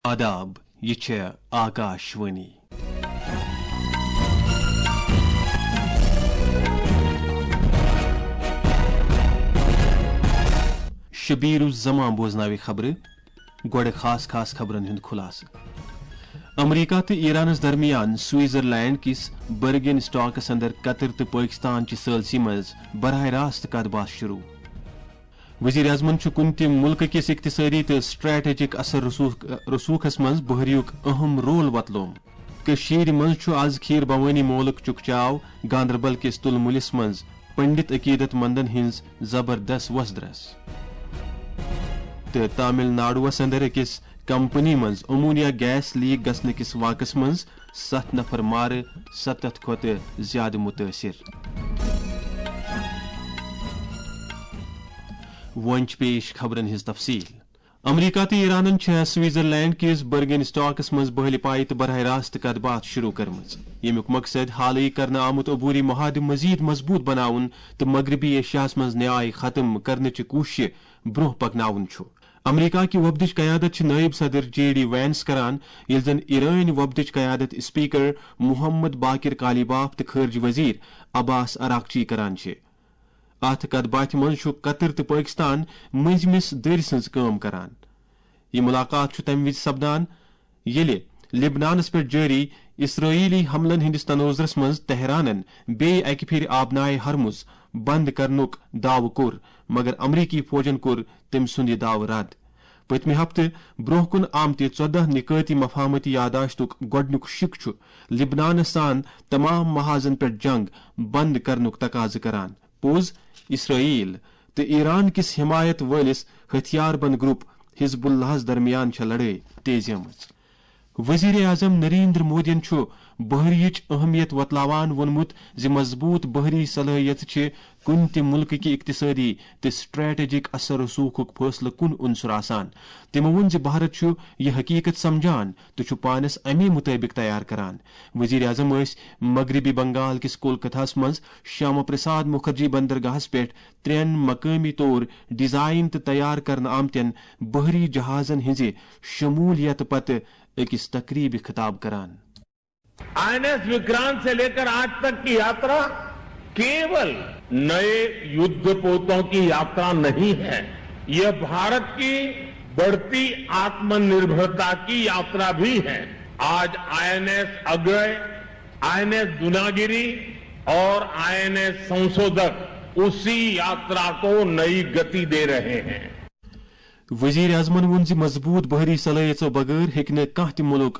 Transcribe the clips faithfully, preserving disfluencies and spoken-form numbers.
آداب، یہِ چھےٚ آکاش وانی۔ شبیر الزمان بوزناوِ خبرٕ۔ گۄڈٕ خاص خاص خبرن ہُنٛد خلاصہٕ۔ امریکہ تہٕ ایرانس درمیان سوئٹزرلینڈ کِس برگن اسٹاکس اندر قطر تہٕ پٲکستان چہِ ثٲلثی منٛز براہ راست کتھ باتھ شروع۔ وزیر اعظمن چھُ کُنہِ تہِ مُلکہٕ کِس اقتصٲدی تہٕ سٹریٹجک اثر رسوخ، رسوخس منٛز بحریُک اہم رول وۄتلومُت۔ کٔشیٖرِ منٛز چھُ از کھیٖر بھوانی مولُک چکچاو، گاندربل کِس تُلمُلِس منٛز پنڈت عقیدت مندن ہٕنٛز زبردست وۄزدرس۔ تہٕ تامل ناڈوَس اندر أکِس کمپنی منٛز امونیا گیس لیک گژھنہٕ کِس واقعس منٛز ستھ نفر مارٕ، ستتھ کھۄتہٕ زیادٕ متٲثر۔ وۄنۍ چھِ پیش خبرن ہٕنٛز تفصیل۔ امریکہ تہٕ ایرانن چھےٚ سوئٹزرلینڈ کِس برگن اسٹاکس منٛز بحلی پایہِ تہٕ براہ راست کتھ باتھ شروع کٔرمٕژ، ییٚمیُک مقصد حالٕے کرنہٕ آمُت عبوری معاہدٕ مزید مضبوط بناوُن تہٕ مغربی ایشیاہس منٛز نیاے ختم کرنٕچہِ کوٗششہِ برونٛہہ پکناوُن چھُ۔ امریکہ کہِ وفدٕچ قیادت چھِ نائب صدر جے ڈی وینس کران، ییٚلہِ زن ایرٲنۍ وفدٕچ قیادت اسپیکر محمد باقر قالیباف تہٕ خارجہ وزیر عباس عراقچی کران چھِ۔ اتھ کتھ باتھِ منٛز چھُ قطر تہٕ پٲکستان مٔنٛزمِس دٔرۍ سٕنٛز کٲم کران۔ یہِ مُلاقات چھُ تَمہِ وِزِ سپدان، ییٚلہِ لبنانس پٮ۪ٹھ جٲری اسرٲیلی حملن ہٕنٛدِس تناظرس منٛز تہرانن بیٚیہِ اکہِ پھِرِ آبنائے ہرمز بند کرنُک دعوٕ کوٚر، مگر امریکی فوجن کوٚر تٔمۍ سُنٛد یہِ دعوٕ رد۔ پٔتمہِ ہفتہٕ برٛونٛہہ کُن آمتہِ ژۄدہ نکٲتی مفاہمتی یادداشتُک گۄڈٕنیُک شِک چھُ لبنانس سان تمام محاذن پٮ۪ٹھ جنگ بند کرنُک تقاضہٕ کران۔ پوٚز، اسرائیل تہٕ ایران کِس حمایت وٲلِس ہتھیار بند گروپ حزب اللہس درمیان چھےٚ لڑٲے تیزیمٕژ۔ وزیر اعظم نریندر مودیَن چھُ بحریچ اہمیت وۄتلاوان ووٚنمُت زِ مضبوط بحری صلٲحیت چھِ کُنہِ تہِ مُلکہٕ کہِ اقتصٲدی تہٕ سٹریٹجک اثر رسوخُک فٲصلہٕ کُن عنصر آسان۔ تٔمۍ ووٚن زِ بھارت چھُ یہِ حقیقت سمجھان تہٕ چھُ پانس امی مطٲبق تیار کران۔ وزیر اعظم ٲسۍ مغربی بنگال کِس کولکتہس منٛز شیاما پرساد مکھرجی بندرگاہس پٮ۪ٹھ ترٛٮ۪ن مقٲمی طور ڈیزائن تہٕ تیار کرنہٕ آمتٮ۪ن بحری جہازن ہٕنٛزِ شمولیت پتہٕ أکِس تقریبہِ خطاب کران۔ आईएनएस विक्रांत से लेकर आज तक की यात्रा केवल नए युद्ध पोतों की यात्रा नहीं है। यह भारत की बढ़ती आत्मनिर्भरता की यात्रा भी है। आज आईएनएस अग्रय, आईएनएस दुनागिरी और आईएनएस संशोधक उसी यात्रा को नई गति दे रहे हैं। وزیر اعظمن ووٚن زِ مضبوط بحری صلٲحیژو بغٲر ہیٚکہِ نہٕ کانٛہہ تہِ مُلک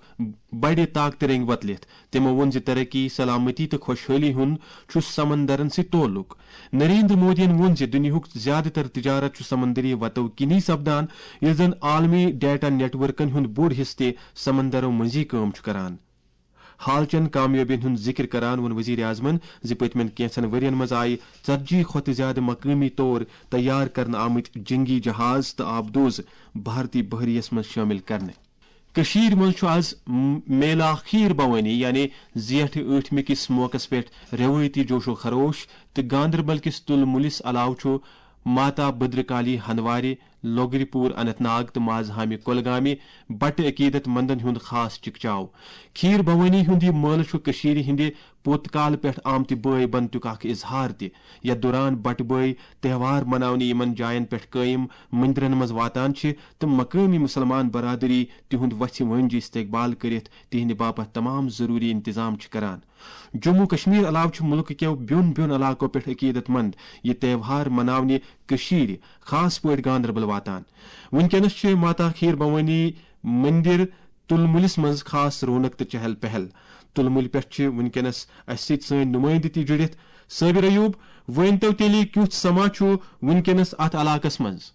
بڑِ طاقتہٕ رنگۍ وۄتلِتھ۔ تِمو ووٚن زِ ترقی، سلامتی تہٕ خۄشحٲلی ہُنٛد چھُ سمندرن سۭتۍ تعلق۔ نریندر مودیَن ووٚن زِ دُنیاہُک زیادٕ تر تجارت چھُ سمندری وتو کِنی سپدان، ییٚلہِ زن عالمی ڈیٹا نیٹ ورکن ہُنٛد بوٚڑ حصہٕ تہِ سمندرو منٛزی کٲم چھُ کران۔ حال چٮ۪ن کامیٲبِین ہُنٛد ذِکِر کران ووٚن وزیر اعظمن زِ پٔتمٮ۪ن کینٛژن ؤرین منٛز آیہِ ژتجی کھۄتہٕ زِیٛادٕ مقٲمی طور تیار کرنہٕ آمٕتۍ جنگی جہاز تہٕ آبدوز بھارتی بحریہ یَس منٛز شٲمِل کرنہٕ۔ کٔشیٖرِ منٛز چھُ آز میلا کھیٖر بھوانی یعنی زیٹھ ٲٹھمہِ کِس موقعس پٮ۪ٹھ رٮ۪وٲیتی جوش و خروش تہٕ گاندربل کِس تُل مُلِس علاوٕ چھُ ماتا بدرکالی ہندوارِ، لوگری پوٗر اننت ناگ تہٕ مازہامہِ کۄلگامہِ بٹہٕ عقیدت مندن ہُنٛد خاص چکچاو۔ کھیٖر بھوانی ہُنٛد یہِ مٲلہٕ چھُ کٔشیٖرِ ہٕنٛدِ پوٚت کالہٕ پٮ۪ٹھ آمتہِ بٲے بنتُک اکھ اظہار تہِ، یتھ دوران بٹہٕ بٲے تہوار مناونہِ یِمن جاین پٮ۪ٹھ قٲیِم مندرن منٛز واتان چھِ تہٕ مقٲمی مُسلمان برادری تِہُنٛد وژھِ وٲنجہِ استقبال کٔرِتھ تِہنٛدِ باپتھ تمام ضروٗری انتظام چھِ کران۔ جموں کشمیر علاوٕ چھِ مُلکہٕ کٮ۪و بیوٚن بیوٚن علاقو پٮ۪ٹھ عقیدت مند یہِ تہوار مناونہِ کٔشیٖرِ، خاص پٲٹھۍ گاندربل واتان۔ وٕنکیٚنس چھِ ماتا کھیٖر بھوانی مندر تُلمُلِس منٛز خاص رونق تہٕ چہل پہل۔ تُلمُلۍ پٮ۪ٹھ چھِ وٕنکیٚنس اَسہِ سۭتۍ سٲنۍ نُمٲیندٕ تہِ جُڑِتھ۔ صٲبِر ایوب، ؤنۍ تو تیٚلہِ کیُتھ سما چھُ وٕنکیٚنس اتھ علاقس منٛز؟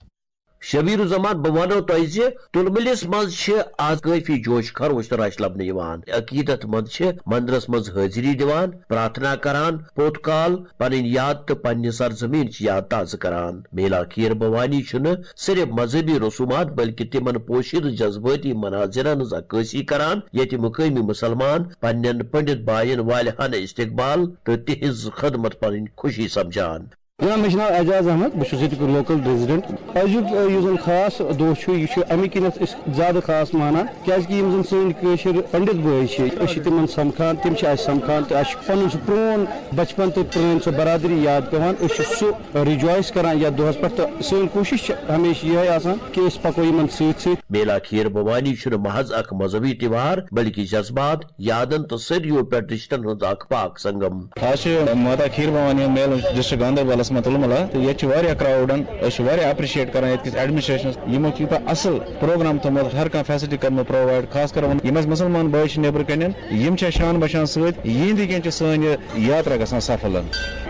شبیر الزمان، بہٕ وَنو تۄہہِ زِ تُلمُلِس منٛز چھِ آز کٲفی جوش خروش تہٕ رش لبنہٕ یِوان۔ عقیدت مند چھِ مندرس منٛز حٲضری دِوان، پرارتھنا کران، پوٚت کال پنٕنۍ یاد تہٕ پننہِ سرزمینٕچ یاد تازٕ کران۔ میلا کھیٖر بھوانی چھُنہٕ صرف مذہبی رسومات بلکہِ تِمن پوشیدٕ جذبٲتی مناظرن ہٕنٛز عکٲسی کران، ییٚتہِ مقٲمی مُسلمان پننٮ۪ن پنڈت باین والہِ ہانہٕ استقبال تہٕ تِہنٛز خدمت پنٕنۍ خوشی سمجھان۔ جناب، مےٚ چھُ ناو اعجاز احمد، بہٕ چھُس ییٚتیُک لوکل ریزیڈنٹ۔ أزیُک، آ، یُس زن خاص دۄہ چھُ، یہِ چھُ اَمہِ کِنٮ۪تھ أسۍ زیادٕ خاص مانان، کیازِ کہِ یِم زن سٲنۍ کٲشِر پنڈت بٲے چھِ، أسۍ چھِ تِمن سمکھان، تِم چھِ اَسہِ سمکھان، تہٕ اَسہِ چھُ پنُن سُہ پرون بچپن تہٕ پرٲنۍ سۄ برادری یاد پٮ۪وان۔ أسۍ چھِ سُہ rejoice کران یتھ دۄہس پٮ۪ٹھ، تہٕ سٲنۍ کوٗشش چھِ ہمیشہِ یِہے آسان کہِ أسۍ پکو یِمن سۭتۍ سۭتۍ۔ میلا کھیٖر بھوانی چھُنہٕ محض اکھ مذہبی تہوار، بلکہِ جذبات، یادن تہٕ صدیو پٮ۪ٹھ رشتن ہُنٛد اکھ پاک سنگم۔ آز چھِ ماتا کھیٖر بھوانی میلہٕ ڈسٹرکٹ گاندربلس منٛز تُلمُل، تہٕ ییٚتہِ چھِ واریاہ کراوڈن، أسۍ چھِ واریاہ اپریشیٹ کران ییٚتہِ کِس ایڈمنسٹریشنس، یِمو چھُ یوٗتاہ اصل پروگرام تھوٚومُت، ہر کانٛہہ فیسلٹی کٔرمٕژ پرووایڈ، خاص کر وۄنۍ یِم اَسہِ مُسلمان بٲے چھِ نیٚبرٕ کَنٮ۪ن، یِم چھِ اَسہِ شان بچان سۭتۍ، یِہنٛدِ کِنۍ چھِ سٲنۍ یہِ یاترا گژھان سفل۔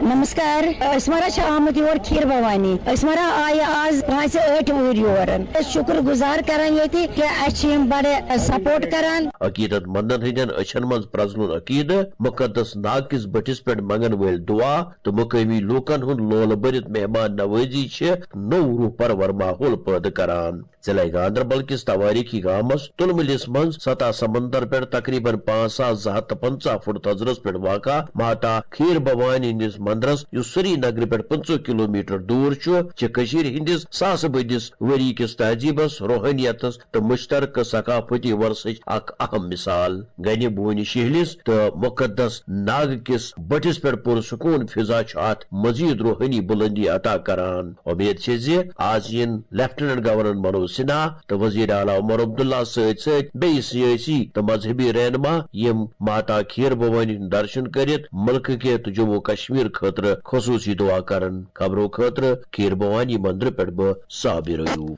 نمسکار، أسۍ مارا چھِ آمٕتۍ یور کھیٖر بھوانی۔ أسۍ مارا آیہِ آز پانٛژِ ٲٹھِ وُہٕرۍ یور۔ أسۍ شُکر گُزار کران ییٚتہِ کہِ اَسہِ چھِ یِم بڑٕ سپورٹ کران۔ عقیدت مندن ہٕنٛدٮ۪ن أچھن منٛز پرٛزلُن عقیدٕ، مُقدس ناگ کِس بٔٹھِس پٮ۪ٹھ منٛگن وٲلۍ دُعا تہٕ مُقٲمی لوٗکن ہُنٛد لولہٕ بٔرِتھ مہمان نوٲزی چھِ نوٚو روح پرور ماحول پٲدٕ کران۔ ضلع گاندربل کِس توٲریٖخی گامس تُلمُلِس منٛز سطح سمندر پٮ۪ٹھ تقریباً پانٛژھ ساس زٕ ہَتھ تہٕ پنٛژاہ فُٹ تھزرس پٮ۪ٹھ واقع ماتا کھیٖر بھوانی ہٕنٛدِس مندرس، یُس سری نگرٕ پٮ۪ٹھ پٕنٛژٕہ کلومیٹر دوٗر چھُ، چھِ کٔشیٖرِ ہٕنٛدِس ساسہٕ بٔدِس ؤری کِس تہذیٖبس، روحٲنیتس تہٕ مشترکہٕ ثقافتی ورثٕچ اکھ اہم مثال۔ گنہِ بونہِ شہلِس تہٕ مقدس ناگ کِس بٔٹھِس پٮ۪ٹھ پُرسکوٗن فضا چھُ اتھ مزید روحٲنی بُلندی عطا کران۔ اُمید چھِ زِ آز یِن لیفٹیننٹ گورنر منوج سنہا تہٕ وزیر اعلیٰ عمر عبداللہ سۭتۍ سۭتۍ بیٚیہِ سیٲسی تہٕ مذہبی رہنما، یِم ماتا کھیٖر بھوانی ہُنٛد درشن کٔرِتھ مُلکہٕ کہِ تہٕ جموں کشمیر خٲطرٕ خصوٗصی دُعا کرن۔ خبرو خٲطرٕ کھیٖر بھوانی مندرٕ پٮ۪ٹھ بہٕ صابر ایوب۔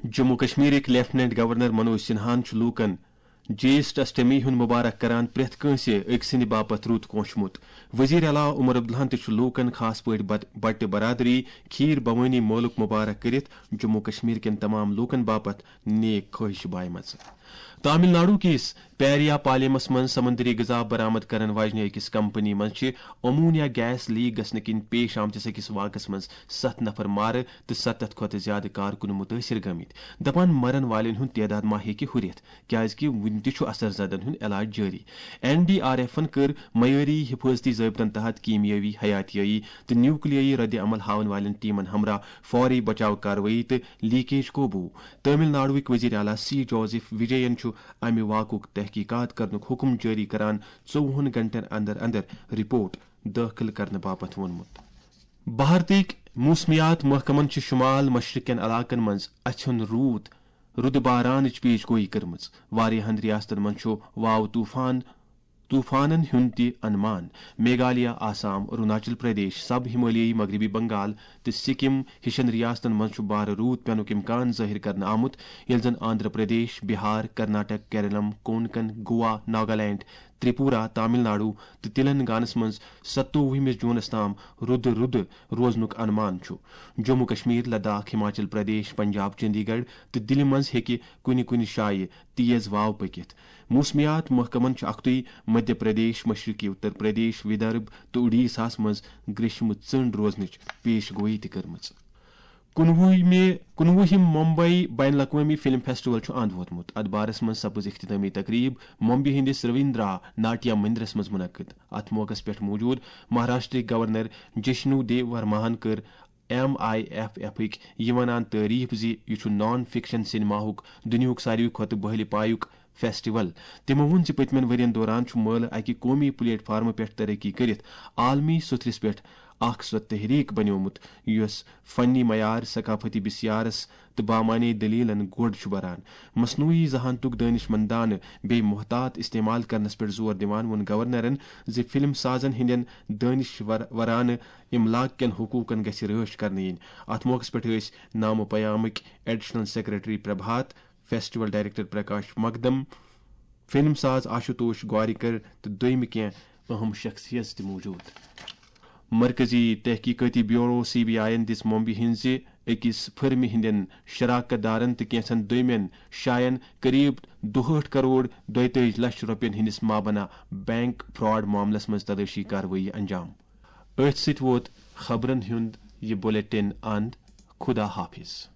جموں کشمیرٕکۍ لیفٹیننٹ گورنر منوج سنہاہن چھُ لوٗکن جیسٹ اشٹمی ہُنٛد مبارک کران پرٛٮ۪تھ کٲنٛسہِ أکۍ سٕنٛدِ باپتھ رُت کونٛچھمُت۔ وزیر اعلیٰ عمر عبداللہن تہِ چھُ لوٗکن، خاص پٲٹھۍ بت-، بٹہِ برادری، کھیٖر بھوانی مٲلُک مبارک کٔرِتھ جموں کشمیر کٮ۪ن تمام لوٗکن باپتھ نیک خٲہِش بایمژٕ۔ تامل ناڈو کِس پیریا پالیمس منٛز سمندری غذا برآمد کرن واجنہِ أکِس کمپنی منٛز چھِ امونیا گیس لیک گژھنہٕ کِنۍ پیش آمتِس أکِس واقعس منٛز ستھ نفر مارٕ تہٕ ستتھ کھۄتہٕ زیادٕ کارکُن مُتٲثر گٔمٕتۍ۔ دپان مرن والٮ۪ن ہُنٛد تعداد ما ہیٚکہِ ہُرِتھ، کیازِ کہِ وُنہِ تہِ چھُ اثر زدن ہُنٛد علاج جٲری۔ این ڈی آر ایفن کٔر معیٲری حفاظتی ضٲبطن تحت کیمیٲوی، حیاتیٲیی تہٕ نیوکلیٲیی رد عمل ہاوَن والٮ۪ن ٹیمن ہمراہ فوری بچاو کاروٲیی تہٕ لیکیج قوبوٗ۔ تامل ناڈوٕکۍ وزیر اعلیٰ سی جوزف وجین چھُ امہِ واقعُک تحقیقات کرنُک حکم جٲری کران ژوٚوُہن گھنٹن اندر اندر رپورٹ دٲخل کرنہٕ باپتھ ووٚنمُت۔ بھارتٕکۍ موسمیات محکمن چھِ شمال مشرق کٮ۪ن علاقن منٛز اَژھٮ۪ن روٗد، رُدٕ بارانٕچ پیش گویی کٔرمٕژ۔ واریاہن ریاستن منٛز چھُ واو طوفان، طوفانن ہُنٛد تہِ انمان۔ میگھالیہ، آسام، اروناچل پردیش، سب ہمالیائی مغربی بنگال تہٕ سکم ہِشن ریاستن منٛز چھُ بارٕ روٗد پینُک امکان ظٲہِر کرنہٕ آمُت، ییٚلہِ زن آندھرا پردیش، بہار، کرناٹک، کیرلم، کونکن، گوا، ناگالینڈ، تریپورہ، تامل ناڈو تہٕ تلنگانس منٛز ستووُہمِس جوٗنس تام رُدٕ رُدٕ روزنُک انمان چھُ۔ جموں کشمیر، لداخ، ہماچل پردیش، پنجاب، چندی گڑھ تہٕ دِلہِ منٛز ہیٚکہِ کُنہِ کُنہِ جایہِ تیز واو پٔکِتھ۔ موسمیات محکمن چھُ اکھتُے مدھیہ پردیش، مشرقی اتر پردیش، ودربھ تہٕ اڈیشاہس منٛز گریشمہٕ ژٔنڈ روزنٕچ پیش گویی تہِ کٔرمٕژ۔ کُنوُہمہِ، کُنوُہِم ممبئی بین الاقوٲمی فلم فیسٹیول چھُ اند ووتمُت۔ اتھ بارس منٛز سپٕز اختتامی تقریب ممبئی ہٕنٛدِس رویندرا ناٹیا مندرس منٛز منعقد۔ اتھ موقعس پٮ۪ٹھ موجود مہاراشٹرٕکۍ گورنر جشنو دیو ورماہن کٔر ایم آئی ایف ایفٕکۍ یہِ ونان تعریف زِ یہِ چھُ نان فکشن سینماہُک دُنیاہُک ساروی کھۄتہٕ بٔہلہِ پایُک فیسٹیول۔ تِمو ووٚن زِ پٔتمٮ۪ن ؤرین دوران چھُ مٲلہٕ اکہِ قومی پلیٹ فارمہٕ پٮ۪ٹھ ترقی کٔرِتھ عالمی سطحس پٮ۪ٹھ اکھ سۄ تحریک بنیومُت، یۄس فنی معیار، ثقافتی بسیارس تہٕ بامعنی دلیلن گوٚڈ چھُ بران۔ مصنوعی ذہانتُک دٲنشمندانہٕ بیٚیہِ محتاط استعمال کرنس پٮ۪ٹھ زور دِوان ووٚن گورنرن زِ فلم سازن ہٕنٛدٮ۪ن دٲنشور-، ورانہٕ املاک کٮ۪ن حقوٗقن گژھِ رٲچھ کرنہٕ یِنۍ۔ اتھ موقعس پٮ۪ٹھ ٲسۍ نامہٕ پیامٕکۍ additional secretary Prabhat, festival director Prakash Magdum, film ساز آشوتوش گوارکر تہٕ دوٚیمہٕ کینٛہہ اہم شخصیژ تہِ موجود۔ مرکزی تحقیقاتی بیورو سی بی آئی یَن دِژ ممبئی ہٕنٛزِ أکِس فرمہِ ہٕنٛدٮ۪ن شراکت دارن تہٕ کینٛژن دوٚیمٮ۪ن جاین قریب دُہٲٹھ کروڑ دۄیتٲجی لچھ رۄپین ہٕنٛدِس مابنا بینک فراڈ معاملس منٛز تلٲشی کاروٲیی انجام۔ أتھۍ سۭتۍ ووت خبرن ہُنٛد یہِ بلیٹن اند۔ خدا حافظ۔